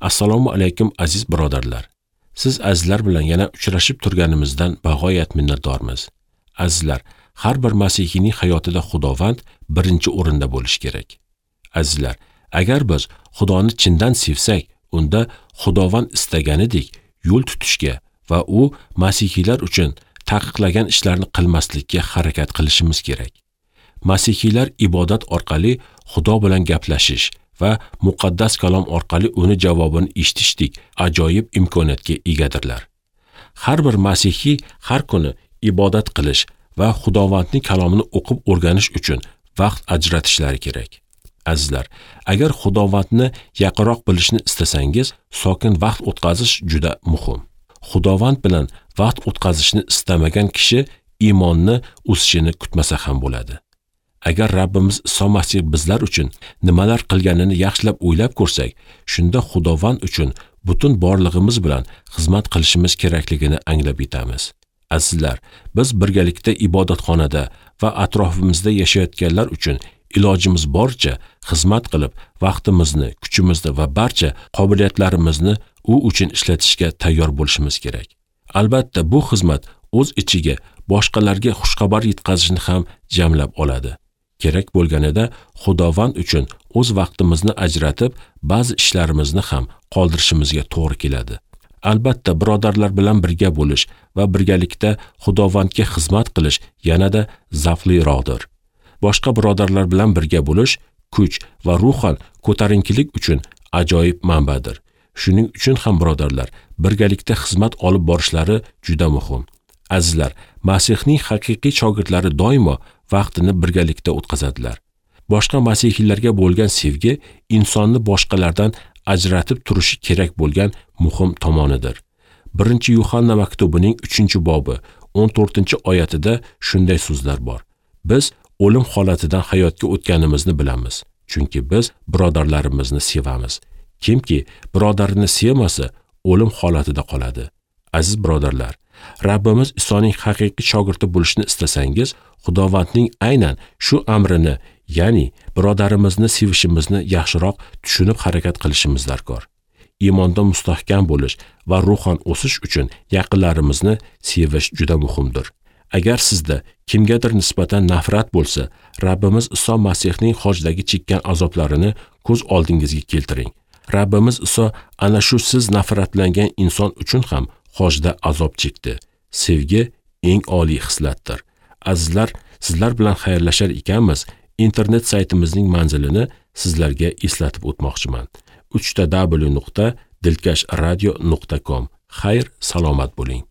Assalomu alaykum aziz birodarlar. Siz azizlar bilan yana uchrashib turganimizdan bag'oyat minnatdormiz. Azizlar, har bir masihiyning hayotida Xudovand birinchi o'rinda bo'lishi kerak. Azizlar, agar biz Xudoni chindan sevsak, unda Xudovand istaganidek yo'l tutishga va u masihiylar uchun taqiqlagan ishlarni qilmaslikka harakat qilishimiz kerak. Masihiylar ibodat orqali Xudo bilan gaplashish va muqaddas kalom orqali uni javobini eshitishdek ajoyib imkoniyatga egadirlar. Har bir masihiy har kuni ibodat qilish va Xudovandning kalomini o'qib o'rganish uchun vaqt ajratishlari kerak. Azizlar, agar Xudovandni yaqinroq bilishni istasangiz, sokin vaqt o'tkazish juda muhim. Xudovand bilan vaqt o'tkazishni istamagan kishi iymonni o'sishini kutmasa ham bo'ladi. Agar Rabbimiz Iso Masih bizlar uchun nimalar qilganini yaxshilab o'ylab ko'rsak, shunda Xudovand uchun butun borlig'imiz bilan xizmat qilishimiz kerakligini anglab yetamiz. Azizlar, biz birgalikda ibodatxonada va atrofimizda yashayotganlar uchun ilojimiz boricha xizmat qilib, vaqtimizni, kuchimizni va barcha qobiliyatlarimizni u uchun ishlatishga tayyor bo'lishimiz kerak. Albatta, bu xizmat o'z ichiga boshqalarga xushxabar yetkazishni ham jamlab oladi. Kerak bo'lganida Xudovand uchun o'z vaqtimizni ajratib, ba'zi ishlarimizni ham qoldirishimizga to'g'ri keladi. Albatta, birodarlar bilan birga bo'lish va birgalikda Xudovandga xizmat qilish yanada zavqliroqdir. Boshqa birodarlar bilan birga bo'lish kuch va ruhan ko'tarinkilik uchun ajoyib manbadir. Shuning uchun ham birodarlar birgalikda xizmat olib borishlari juda muhim. Azizlar, Masihning haqiqiy shogirdlari doimo vaqtini birgalikda o'tkazadilar. Boshqa masihiylarga bo'lgan sevgi insonni boshqalardan ajratib turishi kerak bo'lgan muhim tomonidir. 1-Yuhanna maktubining 3-bobi 14-oyatida shunday so'zlar bor. Biz o'lim holatidan hayotga o'tganimizni bilamiz, chunki biz birodarlarimizni sevamiz. Kimki birodarini sevmasa, o'lim holatida qoladi. Aziz birodarlar, Rabbimiz Isoning haqiqiy shogirdi bo'lishni istasangiz, Xudovandning aynan shu amrini, ya'ni birodarimizni sevishimizni yaxshiroq tushunib harakat qilishimiz darkor. Iymonda mustahkam bo'lish va ruhan o'sish uchun yaqinlarimizni sevish juda muhimdir. Agar sizda kimgadir nisbatan nafrat bo'lsa, Rabbimiz Iso Masihning xojdagi chekkan azoblarini ko'z oldingizga keltiring. Rabbimiz Iso ana shu siz nafratlangan inson uchun ham xojda azob chekdi. Sevgi eng oliy xislatdir. Azizlar, sizlar bilan xayrlashar ekanmiz, internet saytimizning manzilini sizlarga eslatib o'tmoqchiman. www.dilkashradio.com. Xayr, salomat bo'ling.